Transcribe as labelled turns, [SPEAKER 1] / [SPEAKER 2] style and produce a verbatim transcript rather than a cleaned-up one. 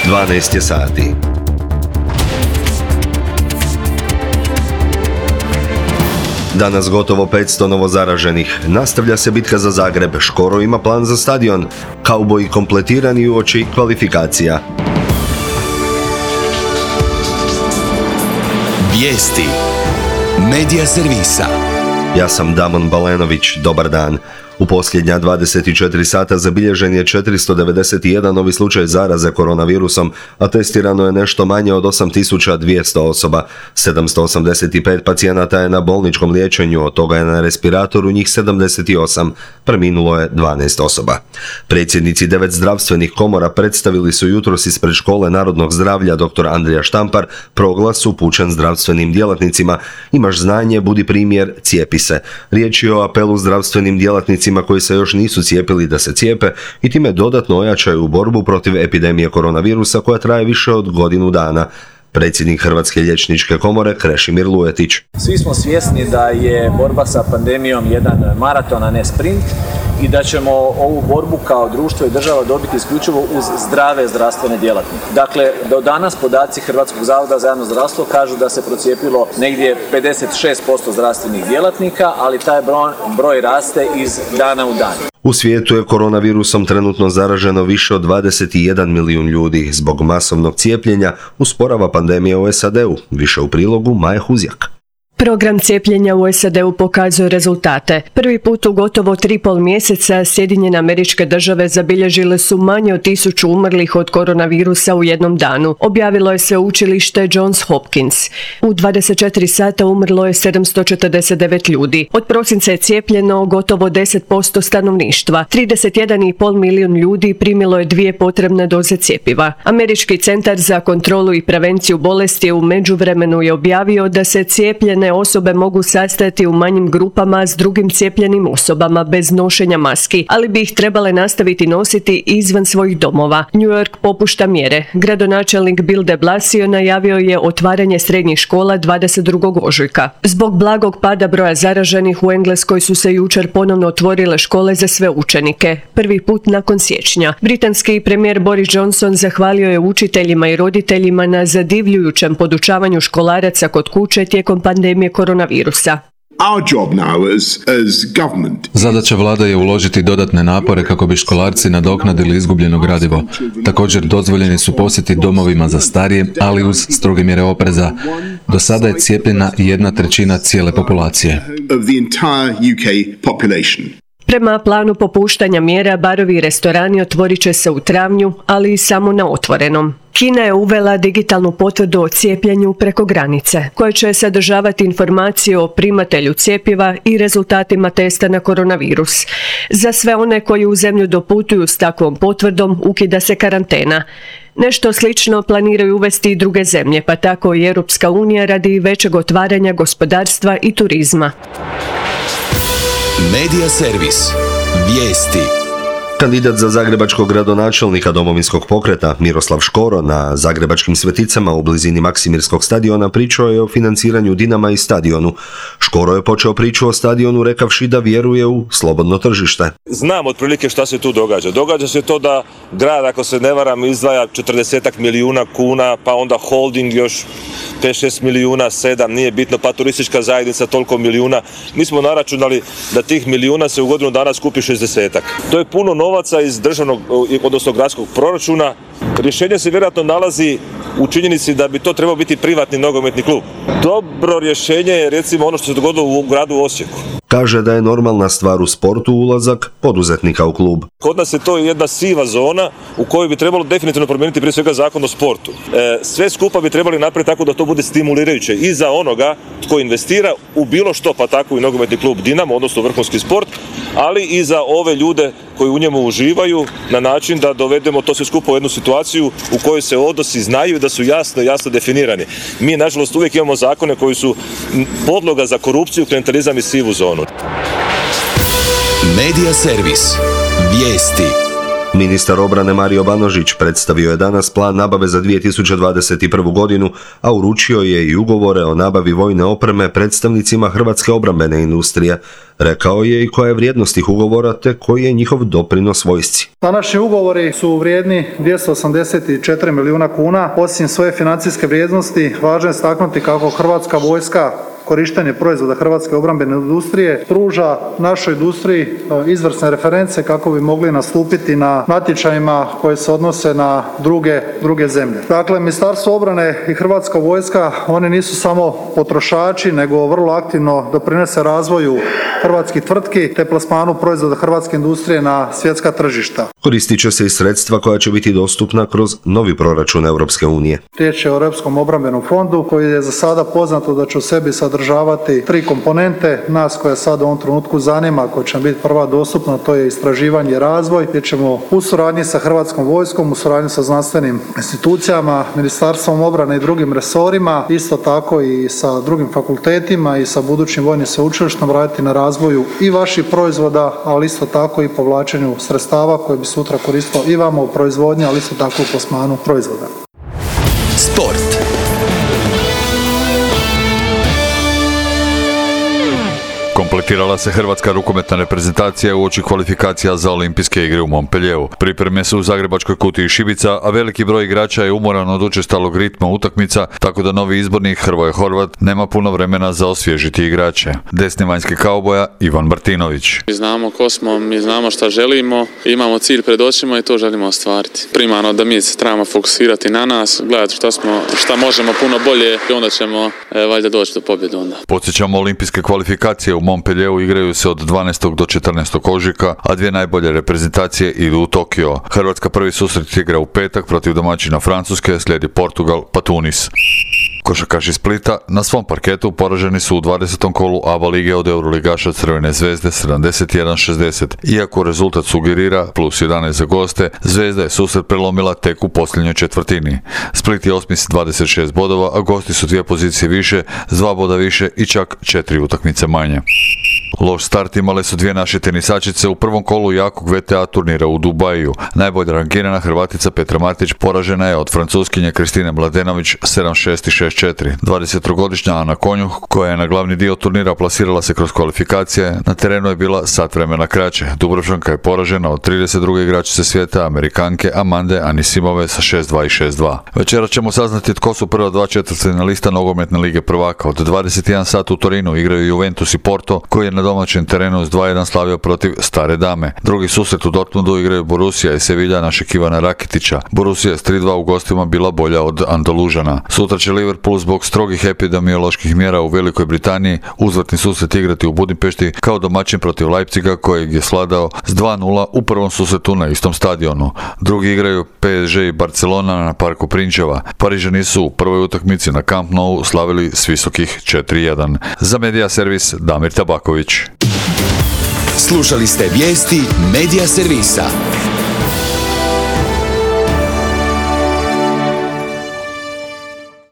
[SPEAKER 1] dvanaest je sati. Danas gotovo petsto novozaraženih. Nastavlja se bitka za Zagreb. Škoro ima plan za stadion. Kauboji kompletirani uoči kvalifikacija.
[SPEAKER 2] Vijesti Medija servisa.
[SPEAKER 1] Ja sam Damon Balenović. Dobar dan. U posljednja dvadeset četiri sata zabilježen je četiristo devedeset jedan novi slučaj zaraze koronavirusom, a testirano je nešto manje od osam tisuća dvjesto osoba. sedamsto osamdeset pet pacijenata je na bolničkom liječenju, od toga je na respiratoru njih sedamdeset osam, preminulo je dvanaest osoba. Predsjednici devet zdravstvenih komora predstavili su jutros ispred Škole narodnog zdravlja dr. Andrija Štampar proglas upućen zdravstvenim djelatnicima: imaš znanje, budi primjer, cijepi se. Riječ je o apelu zdravstvenim djelatnicima koji se još nisu cijepili da se cijepe i time dodatno ojačaju u borbu protiv epidemije koronavirusa koja traje više od godinu dana. Predsjednik Hrvatske liječničke komore Krešimir Lujetić.
[SPEAKER 3] Svi smo svjesni da je borba sa pandemijom jedan maraton, a ne sprint, i da ćemo ovu borbu kao društvo i država dobiti isključivo uz zdrave zdravstvene djelatnike. Dakle, do danas podaci Hrvatskog zavoda za javno zdravstvo kažu da se procijepilo negdje pedeset šest posto zdravstvenih djelatnika, ali taj broj, broj raste iz dana u dan.
[SPEAKER 1] U svijetu je koronavirusom trenutno zaraženo više od dvadeset jedan milijun ljudi. Zbog masovnog cijepljenja usporava pandemija u S A D-u. Više u prilogu Maja Huzjak.
[SPEAKER 4] Program cijepljenja u S A D-u pokazuje rezultate. Prvi put u gotovo tri pol mjeseca Sjedinjene Američke Države zabilježile su manje od tisuću umrlih od koronavirusa u jednom danu, objavilo je sveučilište Johns Hopkins. U dvadeset četiri sata umrlo je sedamsto četrdeset devet ljudi. Od prosinca je cijepljeno gotovo deset posto stanovništva. trideset jedan i pol milijun ljudi primilo je dvije potrebne doze cjepiva. Američki centar za kontrolu i prevenciju bolesti u međuvremenu je objavio da se cijepljene osobe mogu sastajati u manjim grupama s drugim cijepljenim osobama bez nošenja maski, ali bi ih trebale nastaviti nositi izvan svojih domova. New York popušta mjere. Gradonačelnik Bill de Blasio najavio je otvaranje srednjih škola dvadeset drugog ožujka. Zbog blagog pada broja zaraženih u Engleskoj su se jučer ponovno otvorile škole za sve učenike. Prvi put nakon siječnja. Britanski premijer Boris Johnson zahvalio je učiteljima i roditeljima na zadivljujućem podučavanju školaraca kod kuće tijekom pandemije koronavirusa.
[SPEAKER 5] Our job now as, as government.
[SPEAKER 6] Zadaća vlada je uložiti dodatne napore kako bi školarci nadoknadili izgubljeno gradivo. Također dozvoljeni su posjeti domovima za starije, ali uz stroge mjere opreza. Do sada je cijepljena jedna trećina cijele populacije.
[SPEAKER 5] Of the entire U K population.
[SPEAKER 4] Prema planu popuštanja mjera, barovi i restorani otvorit će se u travnju, ali i samo na otvorenom. Kina je uvela digitalnu potvrdu o cijepljenju preko granice, koja će sadržavati informacije o primatelju cjepiva i rezultatima testa na koronavirus. Za sve one koji u zemlju doputuju s takvom potvrdom ukida se karantena. Nešto slično planiraju uvesti i druge zemlje, pa tako i Europska unija radi većeg otvaranja gospodarstva i turizma.
[SPEAKER 2] Medija servis. Vijesti.
[SPEAKER 1] Kandidat za zagrebačkog gradonačelnika Domovinskog pokreta Miroslav Škoro na zagrebačkim Sveticama u blizini Maksimirskog stadiona pričao je o financiranju Dinama i stadionu. Škoro je počeo priču o stadionu rekavši da vjeruje u slobodno tržište.
[SPEAKER 7] Znam otprilike šta se tu događa. Događa se to da grad, ako se ne varam, izdvaja četrdesetak milijuna kuna, pa onda holding još pet šest milijuna, sedam, nije bitno, pa turistička zajednica toliko milijuna. Mi smo naračunali da tih milijuna se u godinu dana skupi šezdesetak. To je puno novaca iz državnog, odnosno gradskog proračuna. Rješenje se vjerojatno nalazi u činjenici da bi to trebao biti privatni nogometni klub. Dobro rješenje je recimo ono što se dogodilo u gradu Osijeku.
[SPEAKER 1] Kaže da je normalna stvar u sportu ulazak poduzetnika u klub.
[SPEAKER 7] Kod nas je to jedna siva zona u kojoj bi trebalo definitivno promijeniti prije svega zakon o sportu. E, sve skupa bi trebali napraviti tako da to bude stimulirajuće i za onoga tko investira u bilo što, pa tako i nogometni klub Dinamo, odnosno vrhunski sport, ali i za ove ljude koji u njemu uživaju na način da dovedemo to sve skupa u jednu situaciju u kojoj se odnosi znaju i da su jasno, jasno definirani. Mi, nažalost, uvijek imamo zakone koji su podloga za korupciju, klijentelizam i sivu zonu.
[SPEAKER 2] Medija servis. Vijesti.
[SPEAKER 1] Ministar obrane Mario Banožić predstavio je danas plan nabave za dvije tisuće dvadeset prvu. godinu, a uručio je i ugovore o nabavi vojne opreme predstavnicima hrvatske obrambene industrije. Rekao je i koja je vrijednost tih ugovora te koji je njihov doprinos vojsci.
[SPEAKER 8] Današnji ugovori su vrijedni dvjesto osamdeset četiri milijuna kuna. Osim svoje financijske vrijednosti, važno je istaknuti kako Hrvatska vojska korištenje proizvoda hrvatske obrambene industrije pruža našoj industriji izvrsne reference kako bi mogli nastupiti na natječajima koje se odnose na druge, druge zemlje. Dakle, Ministarstvo obrane i Hrvatska vojska, oni nisu samo potrošači, nego vrlo aktivno doprinose razvoju hrvatskih tvrtki te plasmanu proizvoda hrvatske industrije na svjetska tržišta.
[SPEAKER 1] Koristit će se i sredstva koja će biti dostupna kroz novi proračun Europske unije.
[SPEAKER 8] Riječ je o Europskom obrambenom fondu koji je za sada poznato da će u sebi sadržavati tri komponente. Nas koja sad u ovom trenutku zanima, koja će biti prva dostupna, to je istraživanje i razvoj, gdje ćemo u suradnji sa Hrvatskom vojskom, u suradnji sa znanstvenim institucijama, Ministarstvom obrane i drugim resorima, isto tako i sa drugim fakultetima i sa budućim vojnim sveučilištem raditi na razvoju i vaših proizvoda, ali isto tako i povlačenju sredstava koje bi sutra koristilo i vama u proizvodnji, ali isto tako u plasmanu proizvoda.
[SPEAKER 2] Sport.
[SPEAKER 9] Kompletirala se hrvatska rukometna reprezentacija uoči kvalifikacija za olimpijske igre u Montpellieru. Pripreme su u zagrebačkoj kutiji šibica, a veliki broj igrača je umoran od učestalog ritma utakmica, tako da novi izbornik Hrvoje Horvat nema puno vremena za osvježiti igrače. Desni vanjski kauboja Ivan Martinović.
[SPEAKER 10] Mi znamo ko smo, mi znamo šta želimo, imamo cilj pred očima i to želimo ostvariti. Primarno da mi se trebamo fokusirati na nas, gledati šta smo, šta možemo puno bolje i onda ćemo e, valjda doći do pobjede onda.
[SPEAKER 9] Podsjećamo, olimpijske kvalifikacije u Montpellieru igraju se od dvanaestog do četrnaestog ožujka, a dvije najbolje reprezentacije idu u Tokio. Hrvatska prvi susret igra u petak protiv domaćina Francuske, slijedi Portugal pa Tunis. Košarkaši Splita na svom parketu poraženi su u dvadesetom kolu A B A lige od euroligaša Crvene zvezde sedamdeset jedan šezdeset. Iako rezultat sugerira plus jedanaest za goste, Zvezda je susret prelomila tek u posljednjoj četvrtini. Split je osmi s dvadeset šest bodova, a gosti su dvije pozicije više, s dva boda više i čak četiri utakmice manje. Loš start imale su dvije naše tenisačice u prvom kolu jakog V T A turnira u Dubaju. Najbolja rangirana Hrvatica Petra Martić poražena je od Francuskinje Kristine Mladenović sedam šest i šest četiri. dvadesettrogodišnja Ana Konjuh, koja je na glavni dio turnira plasirala se kroz kvalifikacije, na terenu je bila sat vremena kraće. Dubrovčanka je poražena od trideset druge igračice svijeta, Amerikanke Amande Anisimove sa šest dva i šest dva. Večera ćemo saznati tko su prva dva četvrtfinalista nogometne lige prvaka. Od dvadeset jedan sat u Torinu igraju Juventus i Porto, koji je na domaćem terenu s dva jedan slavio protiv Stare Dame. Drugi susret u Dortmundu igraju Borussia i Sevilla našeg Ivana Rakitića. Borussia je s tri dva u gostima bila bolja od Andalužana. Sutra će Liverpool zbog strogih epidemioloških mjera u Velikoj Britaniji uzvratni susret igrati u Budimpešti kao domaćin protiv Leipziga, kojeg je svladao s dva nula u prvom susretu na istom stadionu. Drugi igraju P S G i Barcelona na Parku Prinčeva. Parižani su u prvoj utakmici na Camp Nou slavili s visokih četiri jedan. Za Medija servis Damir Tabaković.
[SPEAKER 2] Slušali ste vijesti Medija servisa.